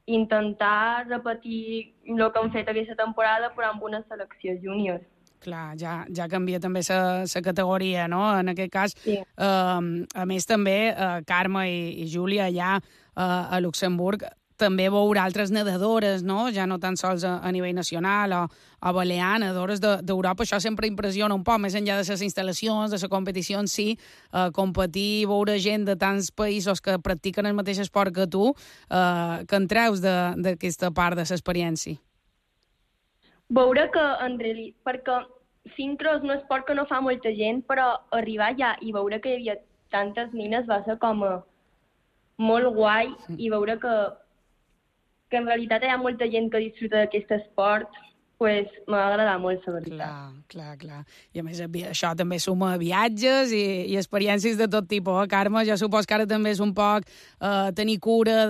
intentar repetir el que hem fet aquesta temporada però amb una selecció júnior. Clar, ja canvia també la categoria, no? En aquest cas, sí. A més també, Carme i Júlia allà a Luxemburg també veure altres nedadores, no? Ja no tan sols a nivell nacional o balear, nedadores d'Europa. Això sempre impressiona un poc, més enllà de les instal·lacions, de la competició en si, competir, veure gent de tants països que practiquen el mateix esport que tu, que en treus d'aquesta part de l'experiència. Veure que, en realitat, perquè sincro és un esport que no fa molta gent, però arribar allà i veure que hi havia tantes nines va ser com molt guai, i veure que en realitat hi ha molta gent que disfruta d'aquest esport, pues m'ha agradat molt, la veritat. Clar. I a més, això també suma viatges i experiències de tot tipus, Carme? Jo supos que ara també és un poc tenir cura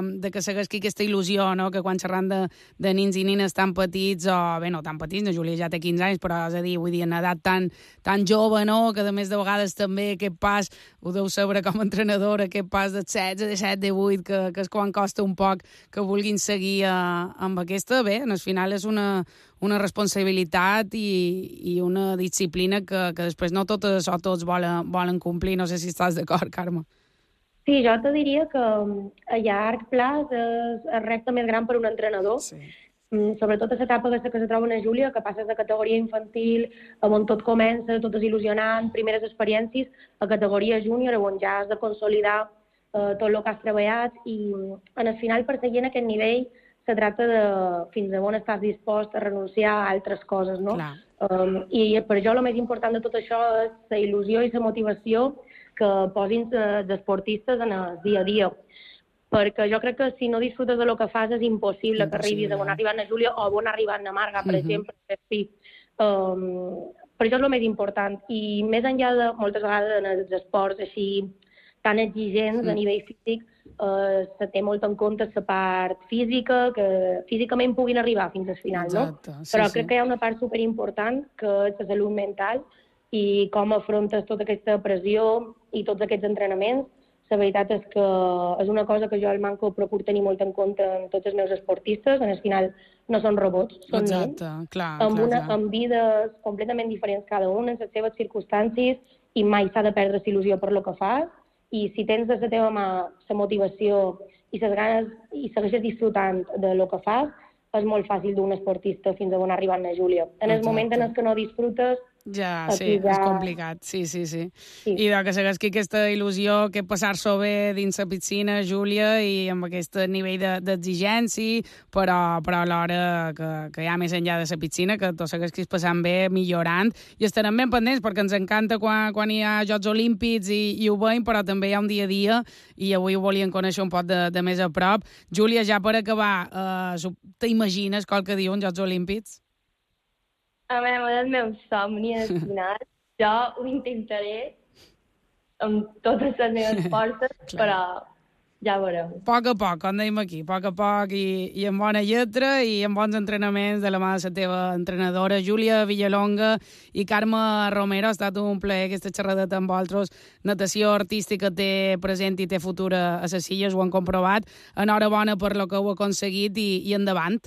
de que segueixi aquesta il·lusió, no? Que quan xerran de nins i nines tan petits, o bé, no tan petits, no, Júlia ja té 15 anys, però és a dir, vull dir, en edat tan jove, no? Que a més de vegades també aquest pas, ho deu saber com a entrenadora, aquest pas de 16, de 17, de 8, que és quan costa un poc que vulguin seguir amb aquesta. Bé, al final és una responsabilitat i una disciplina que després no totes o tots volen complir. No sé si estàs d'acord, Carme. Sí, jo te diria que a llarg plaç és el repte més gran per un entrenador. Sí. Sobretot a l'etapa que se troba a Júlia, que passes de categoria infantil, on tot comença, tot és il·lusionant, primeres experiències, a categoria júnior, on ja has de consolidar tot el que has treballat, i en el final, per seguir en aquest nivell, se tracta de fins a on estàs dispost a renunciar a altres coses, no? I per jo el més important de tot això és la il·lusió i la motivació que posin els esportistes en el dia a dia. Perquè jo crec que si no disfrutes del que fas és impossible que arribis a on ha arribat na Júlia o on ha arribat na Marga, per exemple. Sí. Per això és el més important. I més enllà de, moltes vegades, en els esports així tan exigents a nivell físic, se té molt en compte la part física, que físicament puguin arribar fins al final, no? Però crec que hi ha una part superimportant, que és la salut mental, i com afrontes tota aquesta pressió i tots aquests entrenaments. La veritat és que és una cosa que jo al Manco procuro tenir molt en compte en tots els meus esportistes. En el final no són robots, són nens, amb vides completament diferents cada un, en les seves circumstàncies, i mai s'ha de perdre la il·lusió per lo que fas. I si tens de la teva mà la motivació i les ganes i segueixes disfrutant de lo que fas, és molt fàcil d'un esportista fins a on ha arribat na Júlia. En el moment en el que no disfrutes, ja, sí, és complicat, sí. I que segueixi aquesta il·lusió, que passar-s'ho bé dins la piscina, Júlia, i amb aquest nivell d'exigència, però alhora que hi ha més enllà de la piscina, que tot segueixis passant bé, millorant, i estarem ben pendents, perquè ens encanta quan hi ha Jocs Olímpics i ho veiem, però també hi ha un dia a dia, i avui ho volíem conèixer un poc de més a prop. Júlia, ja per acabar, t'imagines qualque dia uns Jocs Olímpics? A veure, el meu somni al final, jo ho intentaré amb totes les meves forces, però ja veurem. A poc, com dèiem aquí, a poc, i amb bona lletra i amb bons entrenaments de la mà de la teva entrenadora, Júlia Villalonga i Carme Romero. Ha estat un plaer aquesta xerradeta amb vosaltres. Natació artística té present i té futur a les Illes, ho han comprovat. Enhorabona per lo que heu aconseguit i endavant.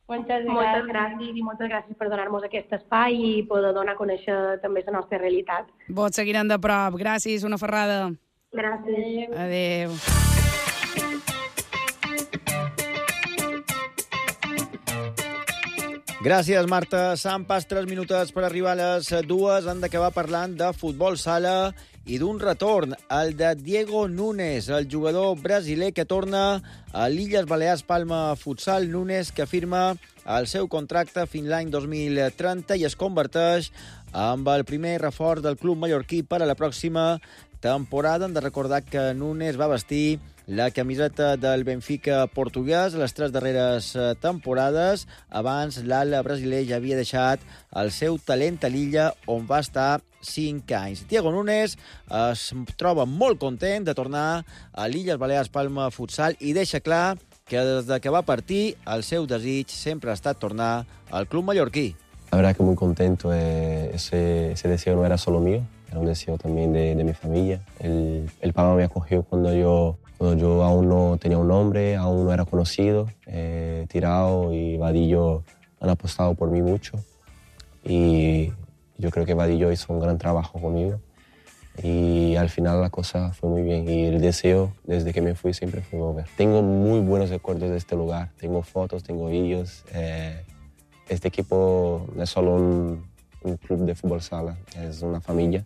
Moltes gràcies i moltes gràcies per donar-nos aquest espai i poder donar a conèixer també la nostra realitat. Vos seguirem de prop. Gràcies, una ferrada. Gràcies. Adéu. Gràcies, Marta. Sant pas 3 minutets per arribar a les 2. Han d'acabar parlant de futbol sala i d'un retorn, el de Diego Núñez, el jugador brasiler que torna a l'Illes Balears Palma Futsal. Núñez, que firma el seu contracte fins l'any 2030 i es converteix amb el primer reforç del club mallorquí per a la pròxima temporada. Hem de recordar que Núñez va vestir la camiseta del Benfica portuguès les 3 darreres temporades. Abans, l'ala brasiler ja havia deixat el seu talent a l'illa, on va estar 5 anys. Diego Núñez es troba molt content de tornar a l'Illes Balears Palma Futsal i deixa clar que des que va partir el seu desig sempre ha estat tornar al club mallorquí. La verdad que muy contento. Ese deseo no era solo mío, era un deseo también de mi familia. El Palma me acogió cuando yo aún no tenía un nombre, aún no era conocido. Tirao y Vadillo han apostado por mí mucho y yo creo que Vadillo hizo un gran trabajo conmigo. Y al final la cosa fue muy bien y el deseo desde que me fui siempre fue volver. Tengo muy buenos recuerdos de este lugar, tengo fotos, tengo vídeos. Este equipo no es solo un club de fútbol sala, es una familia.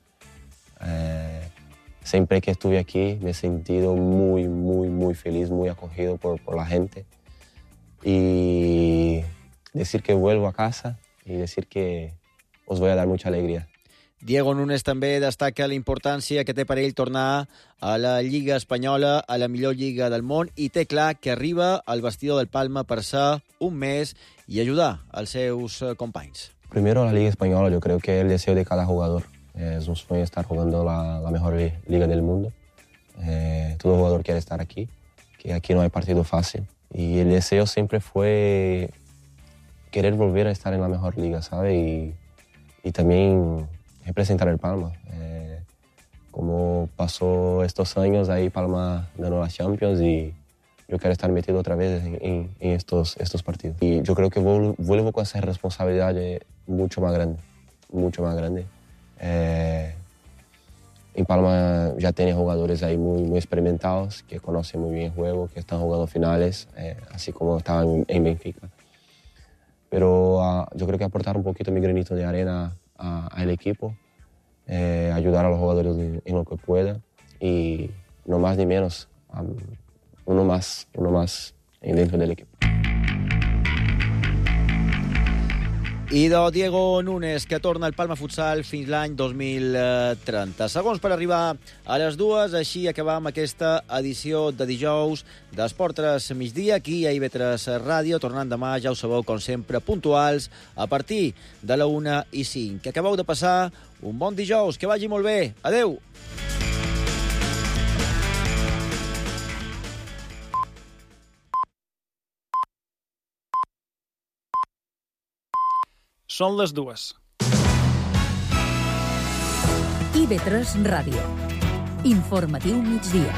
Siempre que estuve aquí me he sentido muy, muy, muy feliz, muy acogido por la gente. Y decir que vuelvo a casa y decir que os voy a dar mucha alegría. Diego Núñez també destaca la importància que té per ell tornar a la Lliga Espanyola, a la millor lliga del món, i té clar que arriba al vestidor del Palma per ser un mes y ayudar als seus companys. Primero la Liga Española, yo creo que el deseo de cada jugador. Es un sueño estar jugando la mejor liga del mundo. Todo jugador quiere estar aquí, que aquí no hay partido fácil. Y el deseo siempre fue querer volver a estar en la mejor liga, ¿sabes? Y también representar el Palma. Como pasó estos años, ahí Palma ganó la Champions y yo quiero estar metido otra vez en estos partidos. Y yo creo que vuelvo con esa responsabilidad mucho más grande, mucho más grande. En Palma ya tiene jugadores ahí muy, muy experimentados, que conocen muy bien el juego, que están jugando finales, así como estaban en Benfica. Pero yo creo que aportar un poquito mi granito de arena al equipo, ayudar a los jugadores en lo que pueda y no más ni menos, uno más dentro del equipo. I de Diego Núñez, que torna al Palma Futsal fins l'any 2030. Segons per arribar a les 2, així acabam aquesta edició de dijous d'Esport 3 migdia, aquí a IB3 Ràdio, tornant demà, ja ho sabeu, com sempre, puntuals, a partir de la 1:05. Que acabeu de passar un bon dijous, que vagi molt bé. Adeu! Són les 2. IB3 Ràdio. Informatiu migdia.